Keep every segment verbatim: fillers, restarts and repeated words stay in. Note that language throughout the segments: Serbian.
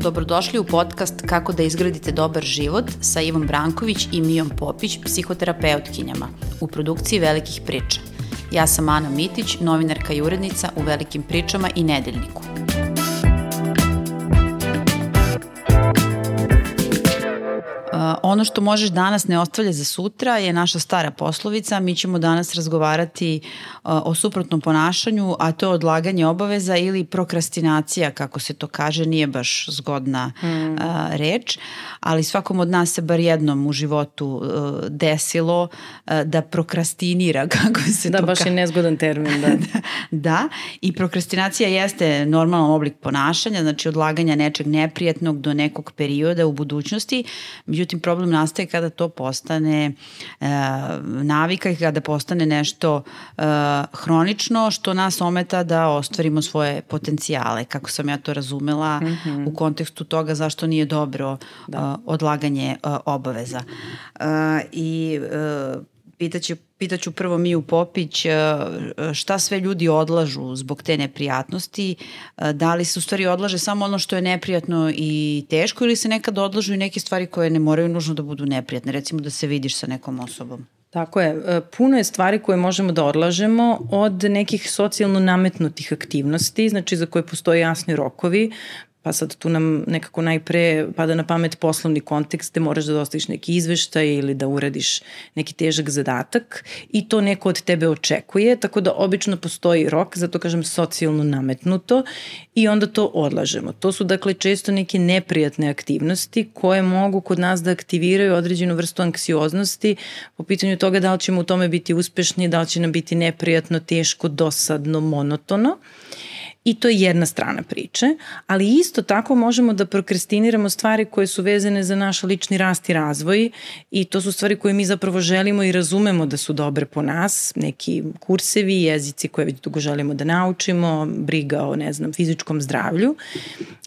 Dobrodošli u podcast Kako da izgradite dobar život sa Ivom Branković i Mijom Popić, psihoterapeutkinjama, u produkciji Velikih priča. Ja sam Ana Mitić, novinarka i urednica u Velikim pričama i Nedeljniku. Ono što možeš danas ne ostavlja za sutra je naša stara poslovica. Mi ćemo danas razgovarati o suprotnom ponašanju, a to je odlaganje obaveza ili prokrastinacija, kako se to kaže, nije baš zgodna mm. reč, ali svakom od nas se bar jednom u životu desilo da prokrastinira, kako se da, to kaže. Da, baš je nezgodan termin. Da. Da, i prokrastinacija jeste normalan oblik ponašanja, znači odlaganja nečeg neprijatnog do nekog perioda u budućnosti. Međutim, problem nastaje kada to postane e, navika i kada postane nešto e, hronično, što nas ometa da ostvarimo svoje potencijale, kako sam ja to razumela mm-hmm. u kontekstu toga zašto nije dobro e, odlaganje e, obaveza. E, I e, pitaću, pitaću prvo Miju Popić šta sve ljudi odlažu zbog te neprijatnosti, da li se u stvari odlaže samo ono što je neprijatno i teško ili se nekad odlažu i neke stvari koje ne moraju nužno da budu neprijatne, recimo da se vidiš sa nekom osobom. Tako je. Puno je stvari koje možemo da odlažemo od nekih socijalno nametnutih aktivnosti, znači za koje postoje jasni rokovi. Pa sad tu nam nekako najpre pada na pamet poslovni kontekst gde moraš da dostaviš neki izveštaj ili da uradiš neki težak zadatak i to neko od tebe očekuje, tako da obično postoji rok, zato kažem socijalno nametnuto i onda to odlažemo. To su dakle često neke neprijatne aktivnosti koje mogu kod nas da aktiviraju određenu vrstu anksioznosti po pitanju toga da li ćemo u tome biti uspešni, da li će nam biti neprijatno, teško, dosadno, monotono. I to je jedna strana priče, ali isto tako možemo da prokrastiniramo stvari koje su vezane za naš lični rast i razvoj i to su stvari koje mi zapravo želimo i razumemo da su dobre po nas, neki kursevi, jezici koje već dugo želimo da naučimo, briga o, ne znam, fizičkom zdravlju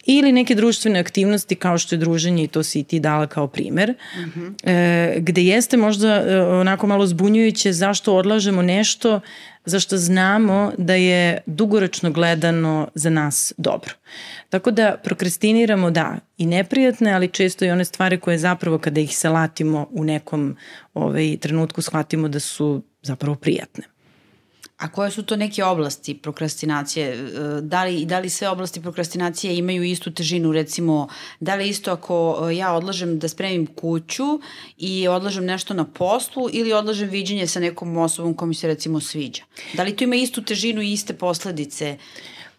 ili neke društvene aktivnosti kao što je druženje i to si i ti dala kao primer, mm-hmm. e, gde jeste možda e, onako malo zbunjujuće zašto odlažemo nešto zašto znamo da je dugoročno gledano za nas dobro. Tako da prokrastiniramo, da, i neprijatne, ali često i one stvari koje zapravo kada ih salatimo u nekom ovaj, trenutku shvatimo da su zapravo prijatne. A koje su to neke oblasti prokrastinacije? Da li, da li sve oblasti prokrastinacije imaju istu težinu? Recimo, da li isto ako ja odlažem da spremim kuću i odlažem nešto na poslu ili odlažem viđenje sa nekom osobom koja mi se recimo sviđa? Da li to ima istu težinu i iste posledice?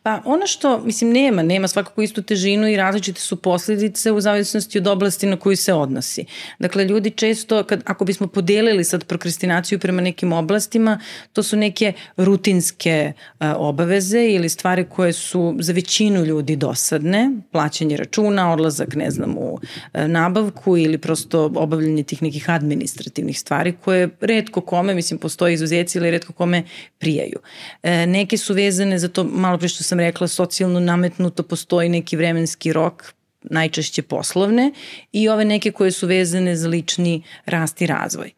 Pa ono što, mislim, nema, nema svakako istu težinu i različite su posljedice u zavisnosti od oblasti na koju se odnosi. Dakle, ljudi često, kad, ako bismo podelili sad prokrastinaciju prema nekim oblastima, to su neke rutinske a, obaveze ili stvari koje su za većinu ljudi dosadne, plaćanje računa, odlazak, ne znam, u a, nabavku ili prosto obavljanje tih nekih administrativnih stvari koje retko kome, mislim, postoje izuzeci ili retko kome prijaju. E, neke su vezane za to, malo pre što sam rekla, socijalno nametnuto, postoji neki vremenski rok, najčešće poslovne i ove neke koje su vezane za lični rast i razvoj.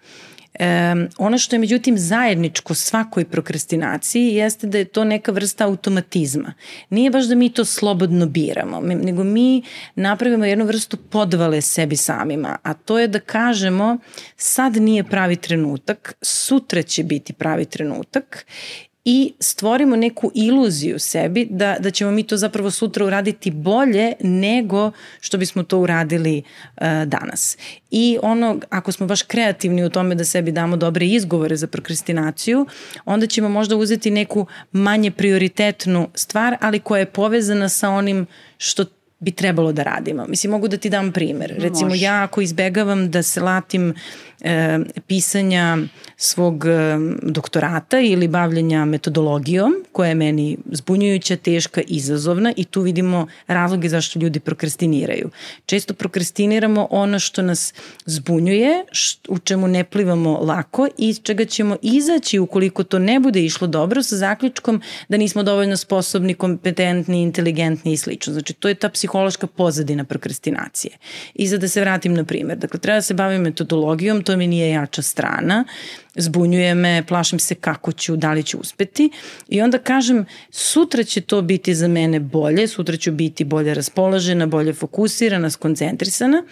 E, ono što je međutim zajedničko svakoj prokrastinaciji jeste da je to neka vrsta automatizma. Nije baš da mi to slobodno biramo, nego mi napravimo jednu vrstu podvale sebi samima, a to je da kažemo sad nije pravi trenutak, sutra će biti pravi trenutak i stvorimo neku iluziju sebi da, da ćemo mi to zapravo sutra uraditi bolje nego što bismo to uradili uh, danas. I ono, ako smo baš kreativni u tome da sebi damo dobre izgovore za prokrastinaciju, onda ćemo možda uzeti neku manje prioritetnu stvar, ali koja je povezana sa onim što bi trebalo da radimo. Mislim, mogu da ti dam primer. Recimo, Može. ja ako izbegavam da se latim e, pisanja svog e, doktorata ili bavljenja metodologijom, koja je meni zbunjujuća, teška, izazovna i tu vidimo razloge zašto ljudi prokrastiniraju. Često prokrastiniramo ono što nas zbunjuje, št, u čemu ne plivamo lako i iz čega ćemo izaći ukoliko to ne bude išlo dobro sa zaključkom da nismo dovoljno sposobni, kompetentni, inteligentni i slično. Znači, to je ta psihološka pozadina prokrastinacije. I za da se vratim na primjer, dakle, treba da se bavim metodologijom, to mi nije jača strana, zbunjuje me, plašim se kako ću, da li ću uspeti i onda kažem sutra će to biti za mene bolje, sutra ću biti bolje raspoložena, bolje fokusirana, skoncentrisana.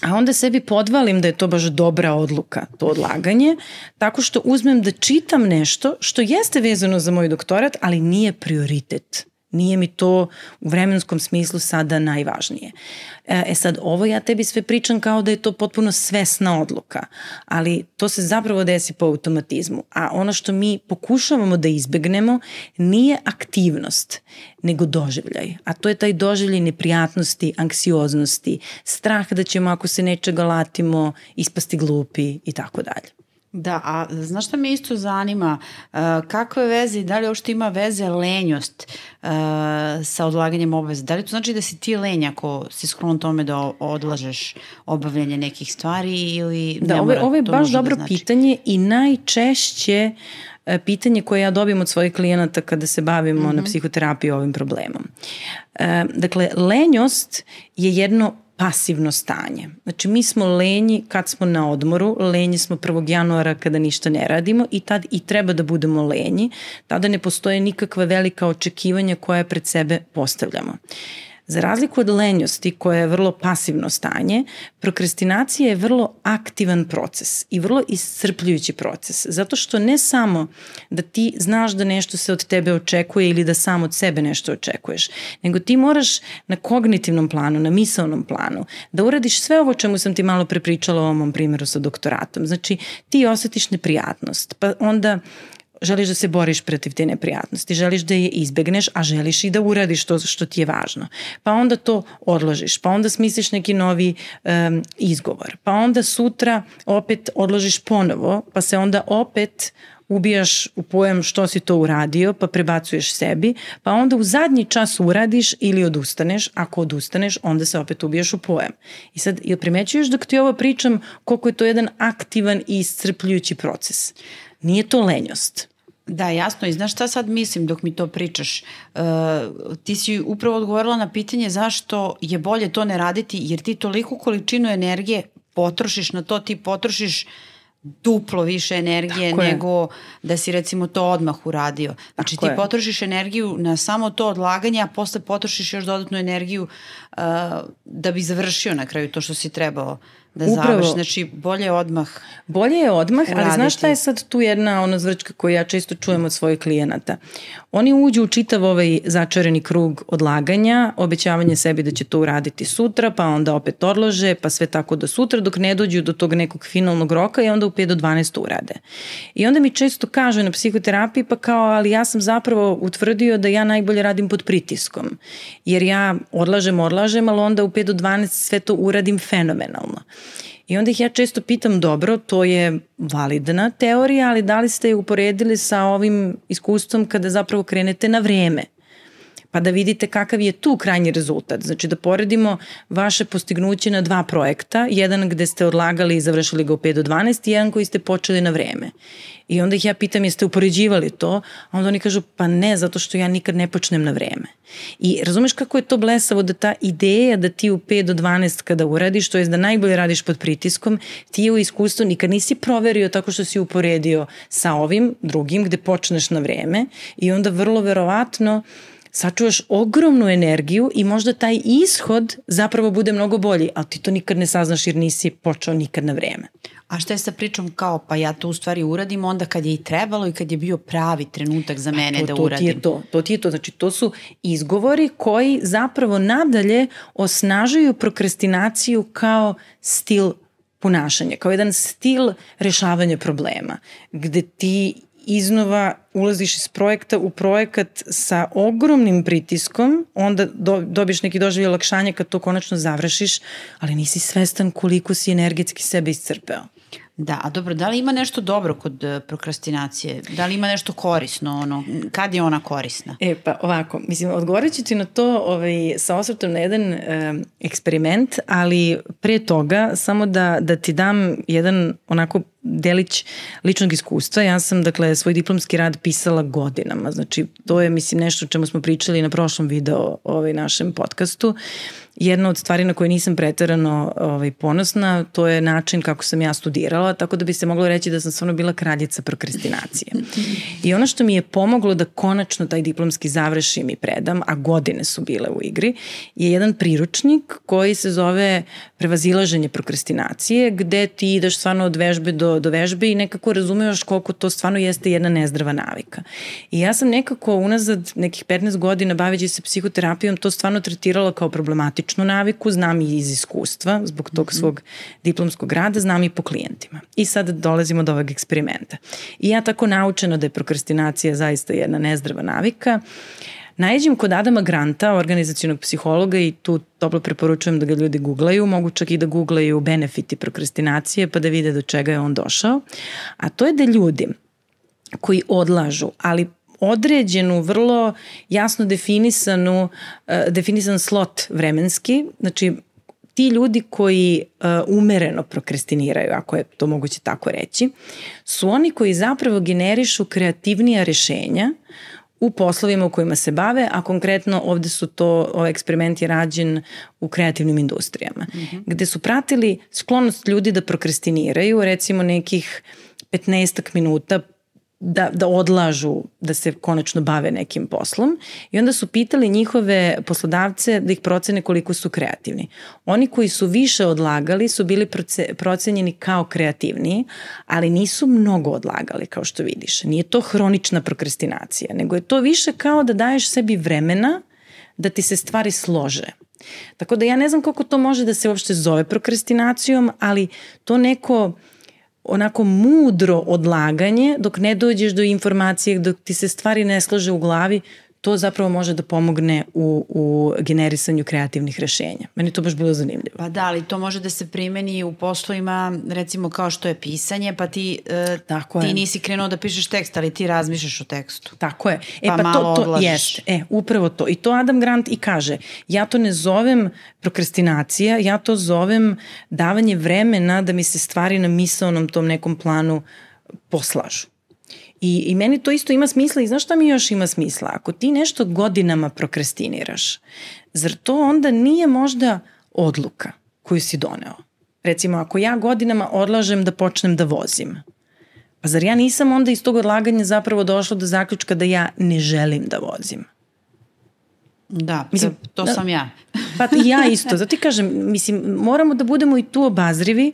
A onda sebi podvalim da je to baš dobra odluka, to odlaganje, tako što uzmem da čitam nešto što jeste vezano za moj doktorat, ali nije prioritet. Nije mi to u vremenskom smislu sada najvažnije. E sad, ovo ja tebi sve pričam kao da je to potpuno svesna odluka, ali to se zapravo desi po automatizmu. A ono što mi pokušavamo da izbegnemo nije aktivnost, nego doživljaj. A to je taj doživljaj neprijatnosti, anksioznosti, strah da ćemo ako se nečega latimo ispasti glupi i tako dalje. Da, a znaš šta me isto zanima, uh, kakve veze i da li uopšte ima veze lenjost uh, sa odlaganjem obaveza? Da li to znači da si ti lenj ako si sklon tome da odlažeš obavljanje nekih stvari ili da, ne ovo, mora? Ovo je baš dobro da znači? pitanje i najčešće pitanje koje ja dobijem od svojih klijenata kada se bavimo mm-hmm. na psihoterapiji ovim problemom. Uh, dakle, lenjost je jedno pasivno stanje. Znači mi smo lenji kad smo na odmoru, lenji smo prvog januara kada ništa ne radimo i tad i treba da budemo lenji, tada ne postoje nikakva velika očekivanja koje pred sebe postavljamo. Za razliku od lenjosti koja je vrlo pasivno stanje, prokrastinacija je vrlo aktivan proces i vrlo iscrpljujući proces, zato što ne samo da ti znaš da nešto se od tebe očekuje ili da sam od sebe nešto očekuješ, nego ti moraš na kognitivnom planu, na misaonom planu, da uradiš sve ovo čemu sam ti malo prepričala o ovom primjeru sa doktoratom. Znači ti osjetiš neprijatnost, pa onda želiš da se boriš protiv te neprijatnosti, želiš da je izbegneš, a želiš i da uradiš to što ti je važno. Pa onda to odložiš, pa onda smisliš neki novi um, izgovor, pa onda sutra opet odložiš ponovo, pa se onda opet ubijaš u pojam što si to uradio, pa prebacuješ sebi, pa onda u zadnji čas uradiš ili odustaneš, ako odustaneš, onda se opet ubijaš u pojam. I sad, jel primećuješ dok ti ovo pričam koliko je to jedan aktivan i iscrpljujući proces? Nije to lenjost. Da, jasno. I znaš šta sad mislim dok mi to pričaš? Uh, ti si upravo odgovorila na pitanje zašto je bolje to ne raditi, jer ti toliku količinu energije potrošiš na to, ti potrošiš duplo više energije Tako nego je. Da si recimo to odmah uradio. Znači Tako ti je. potrošiš energiju na samo to odlaganje, a posle potrošiš još dodatnu energiju uh, da bi završio na kraju to što si trebao da završi. Znači bolje je odmah Bolje je odmah, uraditi. Ali znaš šta je sad tu jedna ono zvrčka koju ja često čujem od svojih klijenata? Oni uđu u čitav ovaj začarani krug odlaganja, obećavanje sebi da će to uraditi sutra, pa onda opet odlože, pa sve tako do sutra dok ne dođu do tog nekog finalnog roka i onda u pet do dvanaest urade. I onda mi često kažu na psihoterapiji pa kao, ali ja sam zapravo utvrdio da ja najbolje radim pod pritiskom. Jer ja odlažem, odlažem, ali onda u pet do dvanaest sve to uradim fenomenalno. I onda ih ja često pitam, dobro, to je validna teorija, ali da li ste je uporedili sa ovim iskustvom kada zapravo krenete na vreme? Pa da vidite kakav je tu krajnji rezultat. Znači da poredimo vaše postignuće na dva projekta, jedan gde ste odlagali i završili ga u pet do dvanaest i jedan koji ste počeli na vreme. I onda ih ja pitam, jeste upoređivali to? A onda oni kažu, pa ne, zato što ja nikad ne počnem na vreme. I razumeš kako je to blesavo da ta ideja da ti u pet do dvanaest kada uradiš, to je da najbolje radiš pod pritiskom, ti je u iskustvu nikad nisi proverio tako što si uporedio sa ovim drugim gde počneš na vreme i onda vrlo verovatno sačuvaš ogromnu energiju i možda taj ishod zapravo bude mnogo bolji, ali ti to nikad ne saznaš jer nisi počeo nikad na vreme. A šta je sa pričom kao, pa ja to u stvari uradim onda kad je i trebalo i kad je bio pravi trenutak za mene to, da to uradim? Ti je to, to ti je to. Znači, to su izgovori koji zapravo nadalje osnažuju prokrastinaciju kao stil ponašanja, kao jedan stil rešavanja problema, gde ti iznova ulaziš iz projekta u projekat sa ogromnim pritiskom, onda do, dobiš neki doživljaj olakšanja kad to konačno završiš, ali nisi svestan koliko si energetski sebe iscrpeo. Da, a dobro, da li ima nešto dobro kod prokrastinacije? Da li ima nešto korisno? Ono, kad je ona korisna? E, pa ovako, mislim, odgovorit ću ti na to ovaj, sa osvrtom na jedan e, eksperiment, ali pre toga samo da, da ti dam jedan onako delić ličnog iskustva. Ja sam, dakle, svoj diplomski rad pisala godinama. Znači, to je, mislim, nešto o čemu smo pričali na prošlom video ovaj našem podcastu. jedna od stvari na koje nisam preterano ovaj, ponosna, to je način kako sam ja studirala, tako da bi se moglo reći da sam stvarno bila kraljica prokrastinacije. I ono što mi je pomoglo da konačno taj diplomski završim i predam, a godine su bile u igri, je jedan priručnik koji se zove Prevazilaženje prokrastinacije, gde ti ideš stvarno od vežbe do, do vežbe i nekako razumevaš koliko to stvarno jeste jedna nezdrava navika. I ja sam nekako unazad nekih petnaest godina baveći se psihoterapijom to stvarno tretirala kao problematičnu naviku, znam i iz iskustva, zbog tog svog diplomskog rada, znam i po klijentima. I sad dolazimo do ovog eksperimenta. I ja tako naučena da je prokrastinacija zaista jedna nezdrava navika, najeđem kod Adama Granta, organizacionog psihologa, i tu toplo preporučujem da ga ljudi googlaju, mogu čak i da googlaju benefiti prokrastinacije pa da vide do čega je on došao. A to je da ljudi koji odlažu, ali određenu, vrlo jasno definisanu, definisan slot vremenski, znači ti ljudi koji uh, umereno prokrastiniraju, ako je to moguće tako reći, su oni koji zapravo generišu kreativnija rešenja u poslovima u kojima se bave, a konkretno ovde su to, ovaj eksperiment je rađen u kreativnim industrijama, mm-hmm. gde su pratili sklonost ljudi da prokrastiniraju, recimo nekih petnaestak minuta Da, da odlažu, da se konačno bave nekim poslom, i onda su pitali njihove poslodavce da ih procene koliko su kreativni. Oni koji su više odlagali su bili procenjeni kao kreativniji, ali nisu mnogo odlagali, kao što vidiš. Nije to hronična prokrastinacija, nego je to više kao da daješ sebi vremena da ti se stvari slože. Tako da ja ne znam koliko to može da se uopšte zove prokrastinacijom, ali to neko onako mudro odlaganje dok ne dođeš do informacije, dok ti se stvari ne slože u glavi, to zapravo može da pomogne u, u generisanju kreativnih rešenja. Meni to baš bilo zanimljivo. Pa da, ali to može da se primeni u poslovima, recimo kao što je pisanje, pa ti, uh, ti nisi krenuo da pišeš tekst, ali ti razmišljaš o tekstu. Tako je. E pa, pa to, to jeste. E, upravo to. I to Adam Grant i kaže, ja to ne zovem prokrastinacija, ja to zovem davanje vremena da mi se stvari na misaonom tom nekom planu poslažu. I, I meni to isto ima smisla, i znaš šta mi još ima smisla? Ako ti nešto godinama prokrastiniraš, zar to onda nije možda odluka koju si doneo? Recimo, ako ja godinama odlažem da počnem da vozim, pa zar ja nisam onda iz tog odlaganja zapravo došla do zaključka da ja ne želim da vozim? Da, mislim, to, to da, sam ja. Pa ja isto, zato ti kažem, mislim, moramo da budemo i tu obazrivi,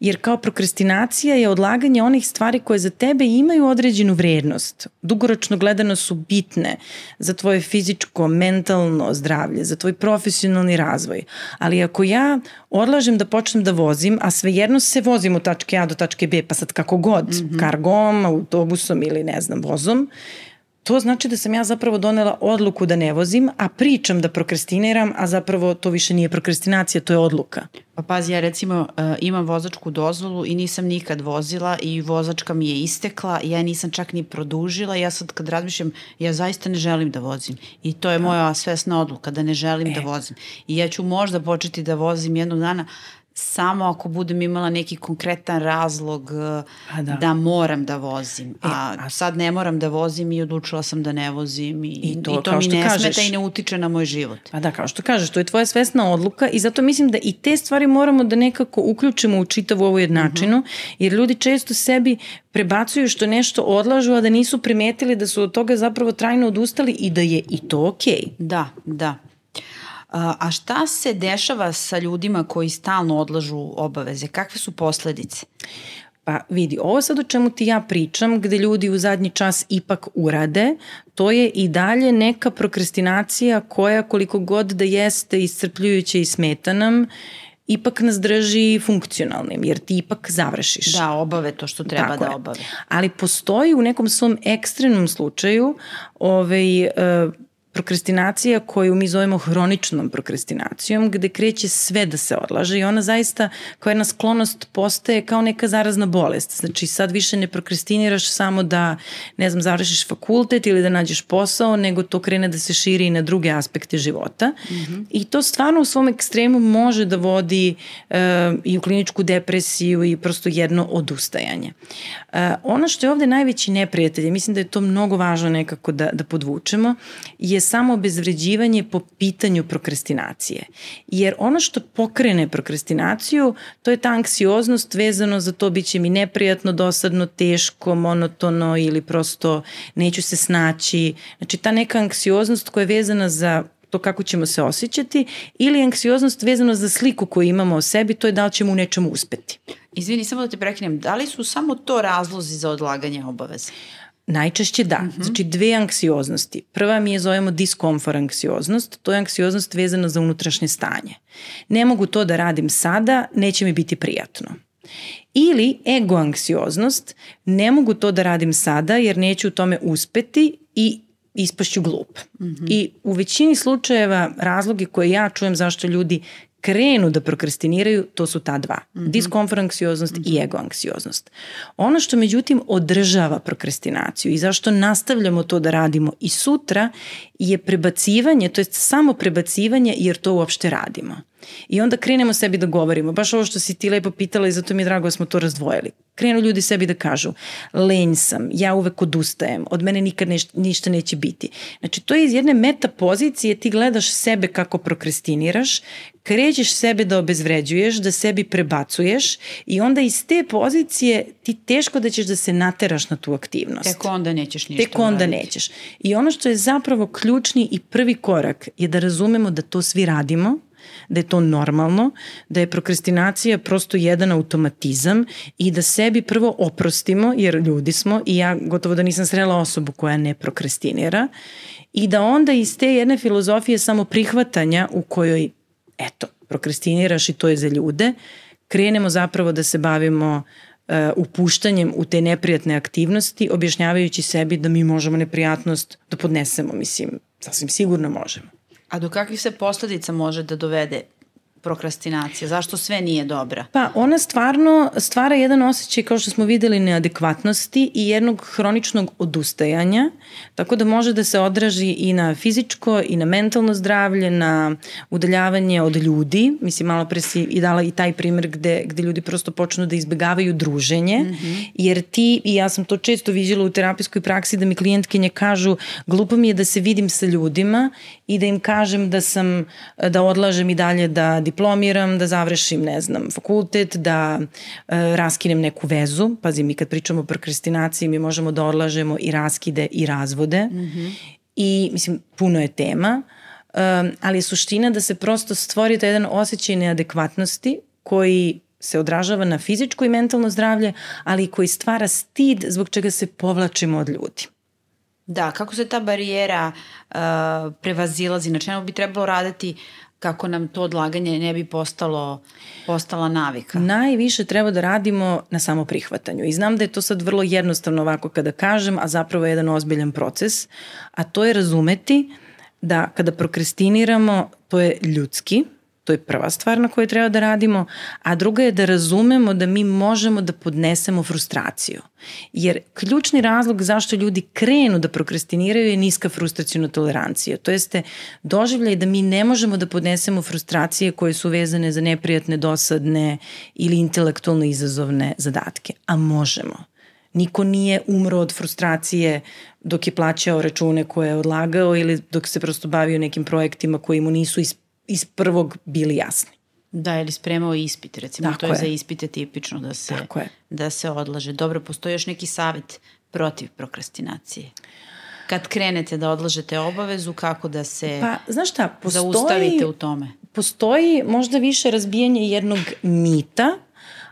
jer kao prokrastinacija je odlaganje onih stvari koje za tebe imaju određenu vrednost. Dugoročno gledano su bitne za tvoje fizičko, mentalno zdravlje, za tvoj profesionalni razvoj. Ali ako ja odlažem da počnem da vozim, a svejedno se vozim od tačke A do tačke B, pa sad kako god, mm-hmm. kargom, autobusom ili ne znam, vozom, to znači da sam ja zapravo donela odluku da ne vozim, a pričam da prokrastiniram, a zapravo to više nije prokrastinacija, to je odluka. Pa pazi, ja recimo uh, imam vozačku dozvolu i nisam nikad vozila i vozačka mi je istekla, ja nisam čak ni produžila, ja sad kad razmišljam, ja zaista ne želim da vozim. I to je moja svesna odluka, da ne želim e. da vozim. I ja ću možda početi da vozim jednog dana, samo ako budem imala neki konkretan razlog da. da moram da vozim. E, a, a sad ne moram da vozim i odlučila sam da ne vozim i, I to, i to mi ne kažeš, smeta i ne utiče na moj život. Pa da, kao što kažeš, to je tvoja svesna odluka i zato mislim da i te stvari moramo da nekako uključimo u čitavu ovu jednačinu, uh-huh. jer ljudi često sebi prebacuju što nešto odlažu, a da nisu primetili da su od toga zapravo trajno odustali i da je i to okej. Okay. Da, da. A šta se dešava sa ljudima koji stalno odlažu obaveze? Kakve su posledice? Pa vidi, ovo sad o čemu ti ja pričam, gde ljudi u zadnji čas ipak urade, to je i dalje neka prokrastinacija koja koliko god da jeste iscrpljujuća i smeta nam, ipak nas drži funkcionalnim, jer ti ipak završiš. Da, obave to što treba Tako da obave. Je. Ali postoji u nekom svom ekstremnom slučaju ovaj... Uh, prokrastinacija koju mi zovemo hroničnom prokrastinacijom, gde kreće sve da se odlaže i ona zaista kao jedna sklonost postaje kao neka zarazna bolest. Znači sad više ne prokrastiniraš samo da, ne znam, završiš fakultet ili da nađeš posao, nego to krene da se širi i na druge aspekte života. Mm-hmm. I to stvarno u svom ekstremu može da vodi uh, i u kliničku depresiju i prosto jedno odustajanje. Uh, ono što je ovde najveći neprijatelj, mislim da je to mnogo važno nekako da, da podvučemo, je samo obezvređivanje po pitanju prokrastinacije. Jer ono što pokrene prokrastinaciju, to je ta anksioznost vezano za to bit će mi neprijatno, dosadno, teško, monotono ili prosto neću se snaći. Znači ta neka anksioznost koja je vezana za to kako ćemo se osjećati ili anksioznost vezano za sliku koju imamo o sebi, to je da li ćemo u nečemu uspeti. Izvini, samo da te prekinem, da li su samo to razlozi za odlaganje obaveza? Najčešće da. Uh-huh. Znači dve anksioznosti. Prva mi je zovemo diskomfort anksioznost. To je anksioznost vezana za unutrašnje stanje. Ne mogu to da radim sada, neće mi biti prijatno. Ili ego anksioznost. Ne mogu to da radim sada jer neću u tome uspeti i ispašću glup. Uh-huh. I u većini slučajeva razloge koje ja čujem zašto ljudi krenu da prokrastiniraju, to su ta dva. Mm-hmm. Diskomfort anksioznost mm-hmm. i ego anksioznost. Ono što međutim održava prokrastinaciju i zašto nastavljamo to da radimo i sutra je prebacivanje, to je samo prebacivanje jer to uopšte radimo. I onda krenemo sebi da govorimo, baš ovo što si ti lepo pitala i zato mi je drago da smo to razdvojili. Krenu ljudi sebi da kažu, lenj sam, ja uvek odustajem, od mene nikad neš, ništa neće biti. Znači to je iz jedne meta pozicije, ti gledaš sebe kako prokrastiniraš, krećeš sebe da obezvređuješ, da sebi prebacuješ i onda iz te pozicije ti teško da ćeš da se nateraš na tu aktivnost. Tek onda nećeš ništa Tek onda uraditi. nećeš. I ono što je zapravo ključni i prvi korak je da razumemo da to svi radimo, da je to normalno, da je prokrastinacija prosto jedan automatizam i da sebi prvo oprostimo, jer ljudi smo i ja gotovo da nisam srela osobu koja ne prokrastinira i da onda iz te jedne filozofije samo prihvatanja u kojoj, eto, prokrastiniraš i to je za ljude, krenemo zapravo da se bavimo uh, upuštanjem u te neprijatne aktivnosti, objašnjavajući sebi da mi možemo neprijatnost da podnesemo, mislim, sasvim sigurno možemo. A do kakvih se posledica može da dovede prokrastinacija? Zašto sve nije dobra? Pa ona stvarno stvara jedan osjećaj, kao što smo videli, neadekvatnosti i jednog hroničnog odustajanja, tako da može da se odraži i na fizičko i na mentalno zdravlje, na udaljavanje od ljudi. Mislim, malo pre si i dala i taj primjer gde, gde ljudi prosto počnu da izbegavaju druženje, mm-hmm. jer ti, i ja sam to često viđala u terapijskoj praksi, da mi klijentkinje kažu, glupo mi je da se vidim sa ljudima i da im kažem da sam, da odlažem i dalje da diplomiram, da završim, ne znam, fakultet, da e, raskinem neku vezu. Pazi, mi kad pričamo o prokrastinaciji, mi možemo da odlažemo i raskide i razvode. Mm-hmm. I, mislim, puno je tema, e, ali je suština da se prosto stvori taj jedan osjećaj neadekvatnosti koji se odražava na fizičko i mentalno zdravlje, ali koji stvara stid zbog čega se povlačimo od ljudi. Da, kako se ta barijera uh, prevazilazi, na čemu bi trebalo raditi kako nam to odlaganje ne bi postalo, postala navika? Najviše treba da radimo na samoprihvatanju. I znam da je to sad vrlo jednostavno ovako kada kažem, a zapravo je jedan ozbiljan proces, a to je razumeti da kada prokrastiniramo, to je ljudski, to je prva stvar na kojoj treba da radimo, a druga je da razumemo da mi možemo da podnesemo frustraciju. Jer ključni razlog zašto ljudi krenu da prokrastiniraju je niska frustracijna tolerancija. To jeste doživljaj da mi ne možemo da podnesemo frustracije koje su vezane za neprijatne, dosadne ili intelektualno izazovne zadatke. A možemo. Niko nije umro od frustracije dok je plaćao račune koje je odlagao ili dok se prosto bavio nekim projektima koji mu nisu iz, iz prvog bili jasni. Da, ili spremao ispit, recimo, Tako to je, je za ispite tipično da se, da se odlaže. Dobro, postoji još neki savjet protiv prokrastinacije? Kad krenete da odlažete obavezu, kako da se pa, znaš šta, postoji, zaustavite u tome? Postoji možda više razbijanje jednog mita,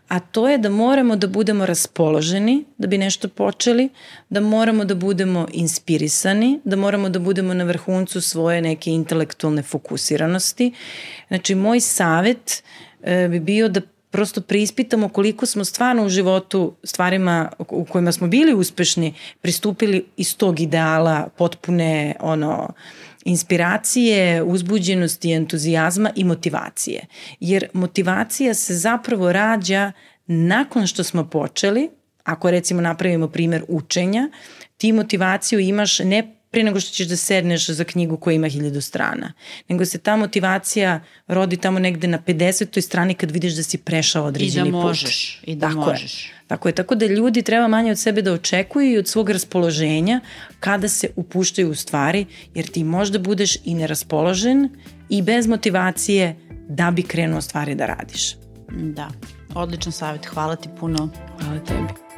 a to je da moramo da budemo raspoloženi da bi nešto počeli, da moramo da budemo inspirisani, da moramo da budemo na vrhuncu svoje neke intelektualne fokusiranosti. Znači, moj savjet e, bi bio da prosto preispitamo koliko smo stvarno u životu stvarima u kojima smo bili uspešni pristupili iz tog ideala potpune ono inspiracije, uzbuđenosti, entuzijazma i motivacije. Jer motivacija se zapravo rađa nakon što smo počeli. Ako recimo napravimo primjer učenja, ti motivaciju imaš ne pre nego što ćeš da sedneš za knjigu koja ima hiljadu strana. Nego se ta motivacija rodi tamo negde na pedesetoj strani kad vidiš da si prešao određeni put. I da možeš. Put. I da tako možeš. Je. Tako je. Tako da ljudi treba manje od sebe da očekuju i od svog raspoloženja kada se upuštaju u stvari, jer ti možda budeš i neraspoložen i bez motivacije da bi krenuo stvari da radiš. Da. Odličan savjet. Hvala ti puno. Hvala tebi.